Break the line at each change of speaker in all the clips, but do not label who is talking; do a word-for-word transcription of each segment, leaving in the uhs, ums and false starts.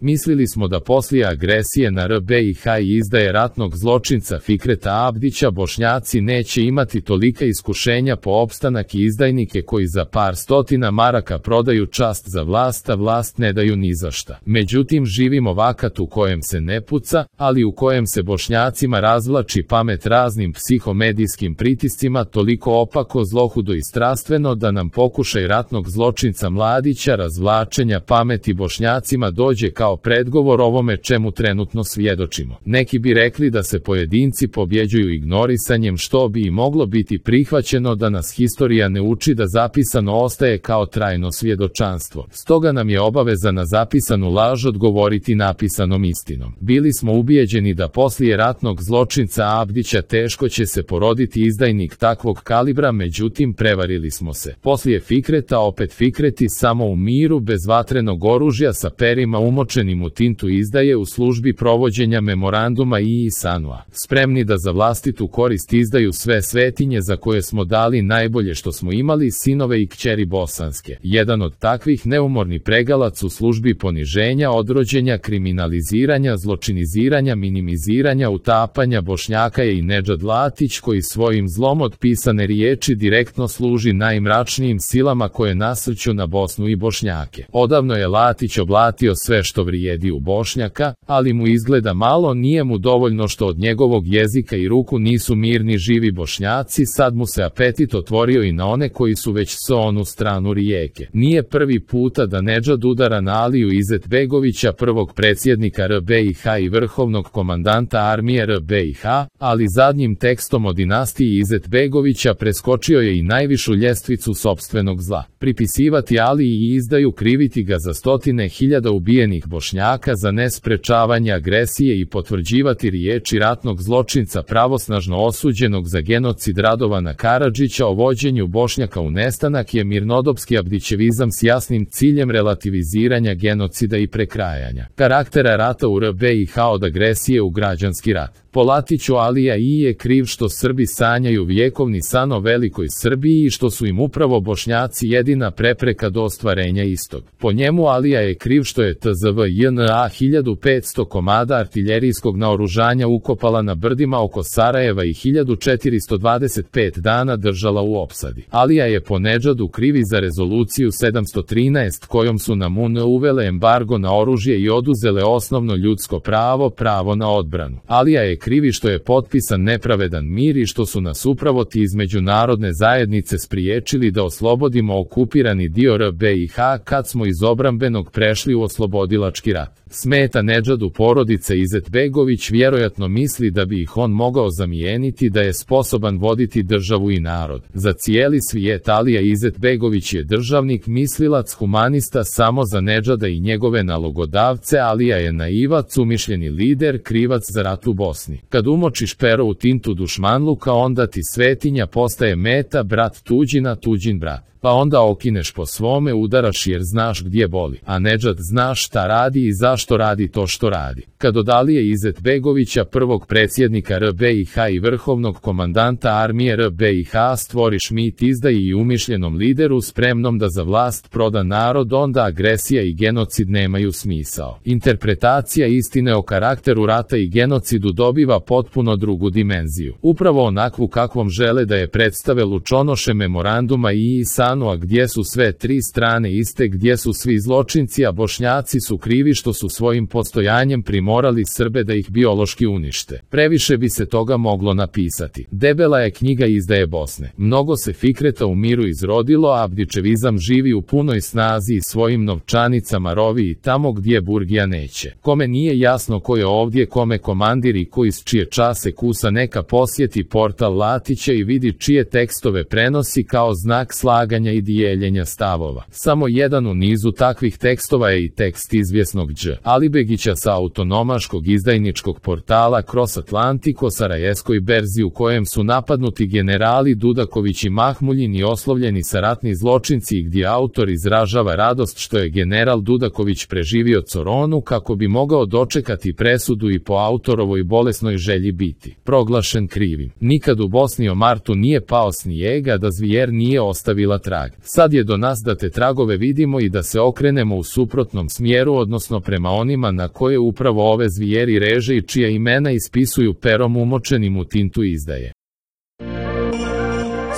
Mislili smo da poslije agresije na R B I H i izdaje ratnog zločinca Fikreta Abdića Bošnjaci neće imati tolika iskušenja po opstanak i izdajnike koji za par stotina maraka prodaju čast za vlast, a vlast ne daju ni za šta. Međutim, živimo vakat u kojem se ne puca, ali u kojem se Bošnjacima razvlači pamet raznim psihomedijskim pritiscima toliko opako, zlohudo i strastveno da nam pokušaj ratnog zločinca Mladića razvlačenja pameti Bošnjacima dođe kao predgovor ovome čemu trenutno svjedočimo. Neki bi rekli da se pojedinci pobjeđuju ignorisanjem, što bi i moglo biti prihvaćeno da nas historija ne uči da zapisano ostaje kao trajno svjedočanstvo. Stoga nam je obaveza na zapisanu laž odgovoriti napisanom istinom. Bili smo ubijeđeni da poslije ratnog zločinca Abdića teško će se poroditi izdajnik takvog kalibra, međutim prevarili smo se. Poslije Fikreta opet Fikreti, samo u miru, bez vatrenog oružja, sa perima umočenim u tintu izdaje u službi provođenja memoranduma i Isanua. Spremni da za vlastitu korist izdaju sve svetinje za koje smo dali najbolje što smo imali, sinove i kćeri bosanske. Jedan od takvih neumorni pregalac u službi poniženja, odrođenja, kriminaliziranja, zločiniziranja, minimiziranja, utapanja Bošnjaka je i Nedžad Latić, koji svojim zlom od pisane riječi direktno služi najmračnijim silama koje nasrću na Bosnu i Bošnjake. Odavno je Latić oblatio sve što vrijedi u Bošnjaka, ali mu izgleda malo, nije mu dovoljno što od njegovog jezika i ruku nisu mirni živi Bošnjaci, sad mu se apetit otvorio i na one koji su već s onu stranu rijeke. Nije prvi puta da Nedžad udara na Aliju Izetbegovića, prvog predsjednika R B I H i vrhovnog komandanta armije R B I H, ali zadnjim tekstom o dinastiji Izetbegovića preskočio je i najvišu ljestvicu sopstvenog zla. Pripisivati Aliji i izdaju, kriviti ga za stotine hiljada ubijenih Bošnjaka, za nesprečavanje agresije i potvrđivati riječi ratnog zločinca pravosnažno osuđenog za genocid Radovana Karadžića o vođenju Bošnjaka u nestanak je mirnodopski abdićevizam s jasnim ciljem relativiziranja genocida i prekrajanja karaktera rata u R B I H od agresije u građanski rat. Po Latiću Alija I je kriv što Srbi sanjaju vjekovni san o velikoj Srbiji i što su im upravo Bošnjaci jedina prepreka do ostvarenja istog. Po njemu Alija je kriv što je T Z V J N A hiljadu petsto komada artiljerijskog naoružanja ukopala na brdima oko Sarajeva i hiljadu četiristo dvadeset pet dana držala u opsadi. Alija je po Nedžadu krivi za rezoluciju sedamsto trinaest kojom su na M U N uvele embargo na oružje i oduzele osnovno ljudsko pravo, pravo na odbranu. Alija je krivi što je potpisan nepravedan mir i što su nas upravo ti iz međunarodne zajednice spriječili da oslobodimo okupirani dio R B I H kad smo iz obrambenog prešli u oslobodilački rat. Smeta Nedžadu porodice Izetbegović, vjerojatno misli da bi ih on mogao zamijeniti, da je sposoban voditi državu i narod. Za cijeli svijet Alija Izetbegović je državnik, mislilac, humanista, samo za Nedžada i njegove nalogodavce Alija je naivac, umišljeni lider, krivac za rat u Bosni. Kad umočiš pero u tintu dušmanluka, onda ti svetinja postaje meta, brat tuđina, tuđin brat. Pa onda okineš po svome, udaraš jer znaš gdje boli. A Nedžad zna šta radi i zašto radi to što radi. Kad od Alije Izetbegovića, prvog predsjednika R B I H i vrhovnog komandanta armije R B I H, stvoriš mit izdaji i umišljenom lideru spremnom da za vlast proda narod, onda agresija i genocid nemaju smisao. Interpretacija istine o karakteru rata i genocidu dobiva potpuno drugu dimenziju. Upravo onakvu kakvom žele da je predstave lučonoše memoranduma i Isanua, gdje su sve tri strane iste, gdje su svi zločinci, a Bošnjaci su krivi što su svojim postojanjem primorali Srbe da ih biološki unište. Previše bi se toga moglo napisati. Debela je knjiga izdaje Bosne. Mnogo se Fikreta u miru izrodilo, a abdićevizam živi u punoj snazi i svojim novčanicama rovi i tamo gdje burgija neće. Kome nije jasno ko je ovdje kome komandir i ko iz čije čase kusa, neka posjeti portal Latića i vidi čije tekstove prenosi kao znak slaganja i dijeljenja stavova. Samo jedan u nizu takvih tekstova je i tekst izvjesnog Đ. Alibegića sa autonomaškog izdajničkog portala Cross Atlantico, sarajevskoj berzi, u kojem su napadnuti generali Dudaković i Mahmuljin i oslovljeni sa ratni zločinci, i gdje autor izražava radost što je general Dudaković preživio Coronu kako bi mogao dočekati presudu i po autorovoj bolesnoj želji biti proglašen krivim. Nikad u Bosni o Martu nije pao snijega da zvijer nije ostavila trag. Sad je do nas da te tragove vidimo i da se okrenemo u suprotnom smjeru, odnosno prema onima na koje upravo ove zvijeri reže i čija imena ispisuju perom umočenim u tintu izdaje.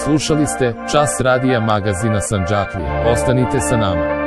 Slušali ste Čas radija magazina Sandžaklija. Ostanite sa nama.